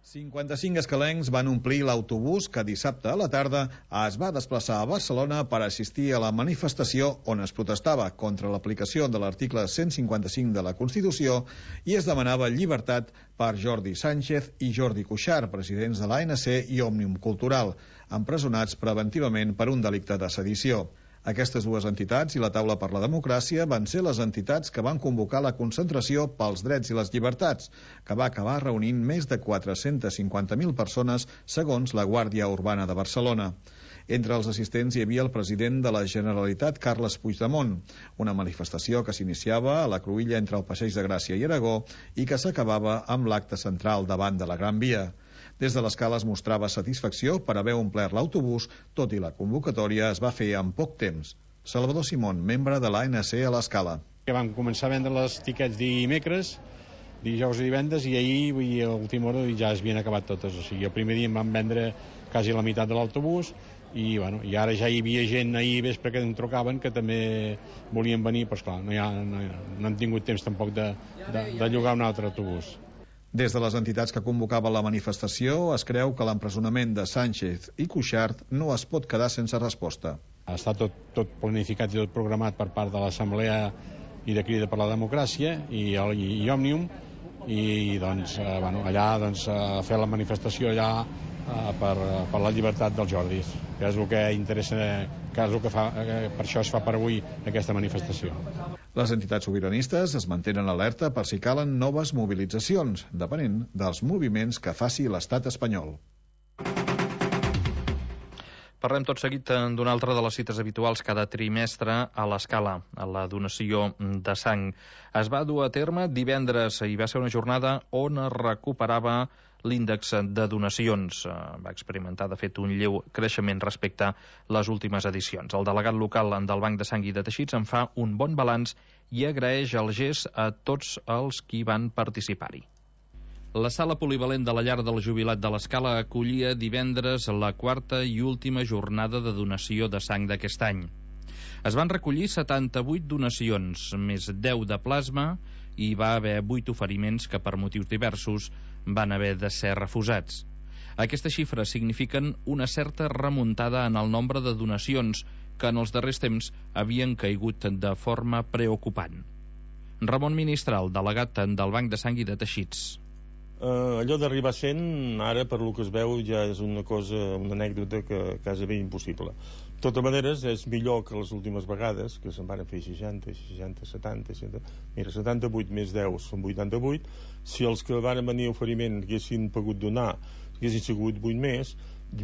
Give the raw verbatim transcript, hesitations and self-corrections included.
cinquanta-cinc escalencs van omplir l'autobús que dissabte a la tarda es va desplaçar a Barcelona per assistir a la manifestació on es protestava contra l'aplicació de l'article cent cinquanta-cinc de la Constitució i es demanava llibertat per Jordi Sánchez i Jordi Cuixart, presidents de l'A N C i Òmnium Cultural, empresonats preventivament per un delicte de sedició. Aquestes dues entitats i la Taula per la Democràcia van ser les entitats que van convocar la concentració pels drets i les llibertats, que va acabar reunint més de quatre-cents cinquanta mil persones, segons la Guàrdia Urbana de Barcelona. Entre els assistents hi havia el president de la Generalitat, Carles Puigdemont, una manifestació que s'iniciava a la cruïlla entre el Passeig de Gràcia i Aragó i que s'acabava amb l'acte central davant de la Gran Via. Des de l'Escala es mostrava satisfacció per haver omplert l'autobús, tot i la convocatòria es va fer en poc temps. Salvador Simón, membre de l'A N C a l'Escala. Que vam començar a vendre les tiquets dimecres, dijous i divendres, i ahir, vull dir, a última hora ja es havien acabat totes. O sigui, el primer dia em van vendre quasi la meitat de l'autobús, i, bueno, i ara ja hi havia gent ahir vespre que em trucaven que també volien venir, però esclar, no, ha, no, no han tingut temps tampoc de, de, de llogar un altre autobús. Des de les entitats que convocaven la manifestació es creu que l'empresonament de Sánchez i Cuixart no es pot quedar sense resposta. Està tot, tot planificat i tot programat per part de l'Assemblea i de Crida per la Democràcia i, i, i Òmnium, i doncs, eh, bueno, allà doncs, a fer la manifestació allà eh, per, per la llibertat dels Jordis, que és el que interessa, que és el que fa, eh, per això es fa per avui aquesta manifestació. Les entitats sobiranistes es mantenen alerta per si calen noves mobilitzacions, depenent dels moviments que faci l'estat espanyol. Parlem tot seguit d'una altra de les cites habituals cada trimestre a l'Escala, a la donació de sang. Es va dur a terme divendres i va ser una jornada on es recuperava l'índex de donacions. Va experimentar, de fet, un lleu creixement respecte a les últimes edicions. El delegat local del Banc de Sang i de Teixits en fa un bon balanç i agraeix el gest a tots els qui van participar-hi. La sala polivalent de la llar del jubilat de l'Escala acollia divendres la quarta i última jornada de donació de sang d'aquest any. Es van recollir setanta-vuit donacions, més deu de plasma, i va haver vuit oferiments que per motius diversos van haver de ser refusats. Aquestes xifres signifiquen una certa remuntada en el nombre de donacions que en els darrers temps havien caigut de forma preocupant. Ramon Ministral, delegat del Banc de Sang i de Teixits. Uh, allò d'arribar a cent, ara per lo que es veu ja és una cosa, una anècdota que quasi bé impossible. De totes maneres és millor que les últimes vegades, que se'n van fer seixanta, seixanta, setanta, setanta, mira, setanta-vuit més deu són vuitanta-vuit. Si els que van venir a oferiment haguessin pogut donar haguessin sigut vuit més, mira,